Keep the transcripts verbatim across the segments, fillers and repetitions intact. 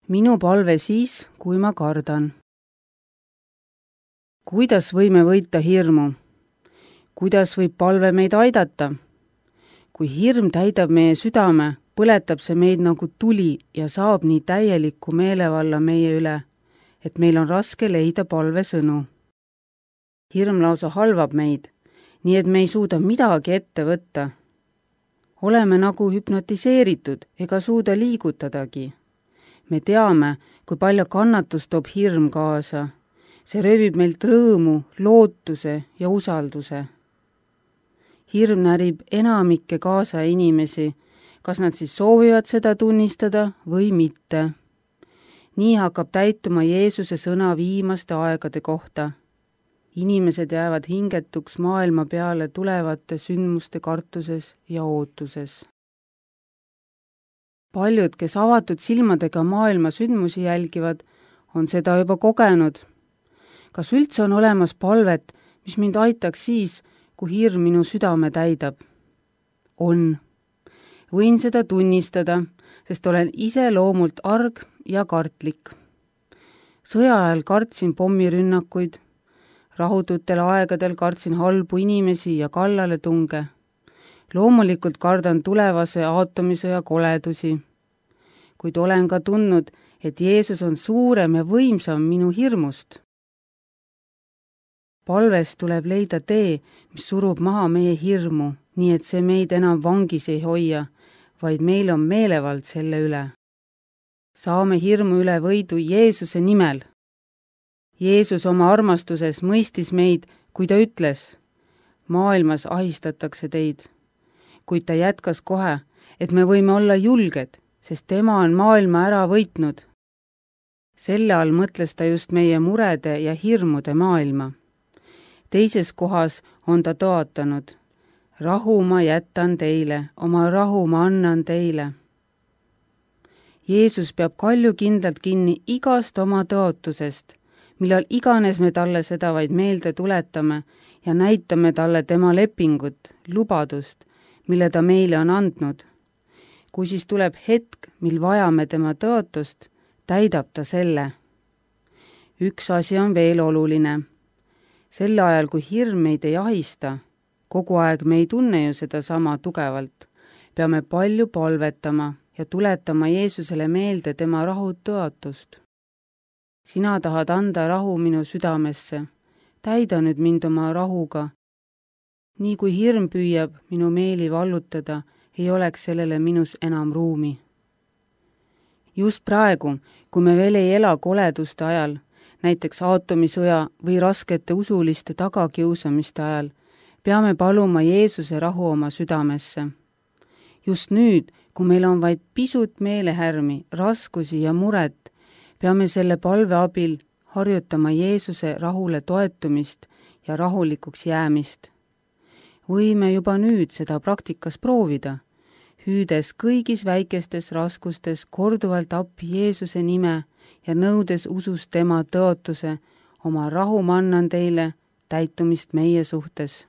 Minu palve siis, kui ma kardan. Kuidas võime võita hirmu? Kuidas võib palve meid aidata? Kui hirm täidab meie südame, põletab see meid nagu tuli ja saab nii täieliku meelevalla meie üle, et meil on raske leida palvesõnu. Hirm lausa halvab meid, nii et me ei suuda midagi ette võtta. Oleme nagu hüpnotiseeritud ega suuda liigutadagi. Me teame, kui palju kannatust toob hirm kaasa. See röövib meilt rõõmu, lootuse ja usalduse. Hirm närib enamikke kaasa inimesi, kas nad siis soovivad seda tunnistada või mitte. Nii hakkab täituma Jeesuse sõna viimaste aegade kohta. Inimesed jäävad hingetuks maailma peale tulevate sündmuste kartuses ja ootuses. Paljud, kes avatud silmadega maailma sündmusi jälgivad, on seda juba kogenud. Kas üldse on olemas palvet, mis mind aitaks siis, kui hirm minu südame täidab? On. Võin seda tunnistada, sest olen ise loomult arg ja kartlik. Sõja ajal kartsin pommirünnakuid, rahututel aegadel kartsin halbu inimesi ja kallale tunge. Loomulikult kardan tulevase aatomisõja koledusi, kuid olen ka tundnud, et Jeesus on suurem ja võimsam minu hirmust. Palves tuleb leida tee, mis surub maha meie hirmu, nii et see meid enam vangis ei hoia, vaid meil on meelevald selle üle. Saame hirmu üle võidu Jeesuse nimel. Jeesus oma armastuses mõistis meid, kui ta ütles, maailmas ahistatakse teid. Kuid ta jätkas kohe, et me võime olla julged, sest tema on maailma ära võitnud. Selle all mõtles ta just meie murede ja hirmude maailma. Teises kohas on ta toatanud, rahu ma jätan teile, oma rahu ma annan teile. Jeesus peab kaljukindlalt kinni igast oma tõotusest, millal iganes me talle seda vaid meelde tuletame ja näitame talle tema lepingut, lubadust, mille ta meile on andnud. Kui siis tuleb hetk, mil vajame tema tõotust, täidab ta selle. Üks asi on veel oluline. Sel ajal, kui hirm meid ei ahista, kogu aeg me ei tunne ju seda sama tugevalt, peame palju palvetama ja tuletama Jeesusele meelde tema rahut tõotust. Sina tahad anda rahu minu südamesse, täida nüüd mind oma rahuga. Nii kui hirm püüab minu meeli vallutada, ei oleks sellele minus enam ruumi. Just praegu, kui me veel ei ela koleduste ajal, näiteks aatomisõja või raskete usuliste tagakiusamiste ajal, peame paluma Jeesuse rahu oma südamesse. Just nüüd, kui meil on vaid pisut meelehärmi, raskusi ja muret, peame selle palve abil harjutama Jeesuse rahule toetumist ja rahulikuks jäämist. Võime juba nüüd seda praktikas proovida, hüüdes kõigis väikestes raskustes korduvalt appi Jeesuse nime ja nõudes usus tema tõotuse, oma rahu ma annan teile, täitumist meie suhtes.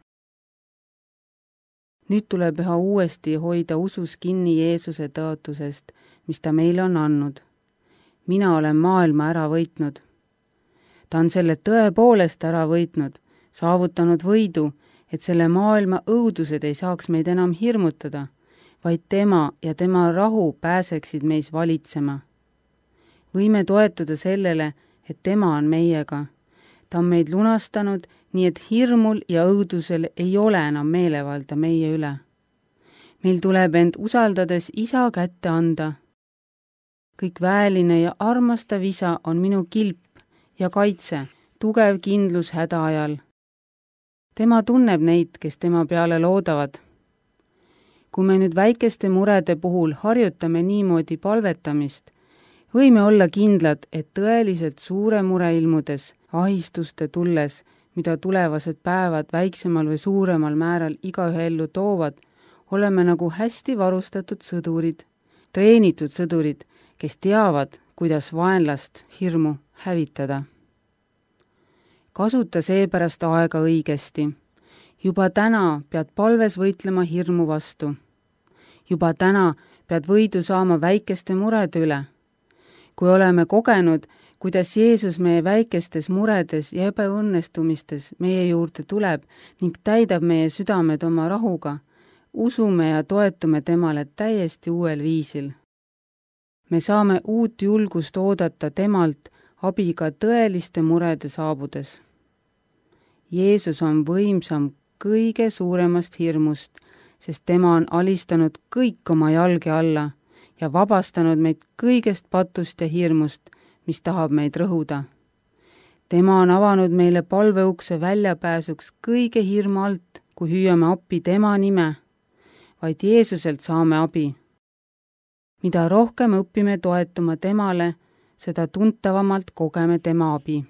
Nüüd tuleb üha uuesti hoida usus kinni Jeesuse tõotusest, mis ta meile on andnud. Mina olen maailma ära võitnud. Ta on selle tõepoolest ära võitnud, saavutanud võidu, et selle maailma õudused ei saaks meid enam hirmutada, vaid tema ja tema rahu pääseksid meis valitsema. Võime toetuda sellele, et tema on meiega. Ta on meid lunastanud, nii et hirmul ja õudusel ei ole enam meelevalda meie üle. Meil tuleb end usaldades isa kätte anda. Kõik väeline ja armastav isa on minu kilp ja kaitse, tugev kindlus häda ajal. Tema tunneb neid, kes tema peale loodavad. Kui me nüüd väikeste murede puhul harjutame niimoodi palvetamist, võime olla kindlad, et tõeliselt suure mure ilmudes, ahistuste tulles, mida tulevased päevad väiksemal või suuremal määral igaühe ellu toovad, oleme nagu hästi varustatud sõdurid, treenitud sõdurid, kes teavad, kuidas vaenlast hirmu hävitada. Kasuta seepärast aega õigesti. Juba täna pead palves võitlema hirmu vastu. Juba täna pead võidu saama väikeste murede üle. kui oleme kogenud, kuidas Jeesus meie väikestes muredes ja ebaõnnestumistes meie juurde tuleb ning täidab meie südamed oma rahuga, usume ja toetume temale täiesti uuel viisil. Me saame uut julgust oodata temalt abi ka tõeliste murede saabudes. Jeesus on võimsam kõige suuremast hirmust, sest tema on alistanud kõik oma jalge alla ja vabastanud meid kõigest patust ja hirmust, mis tahab meid rõhuda. Tema on avanud meile palveukse väljapääsuks kõige hirmu alt, kui hüüame appi tema nime. Vaid Jeesuselt saame abi. Mida rohkem õpime toetuma temale, seda tuntavamalt kogeme tema abi.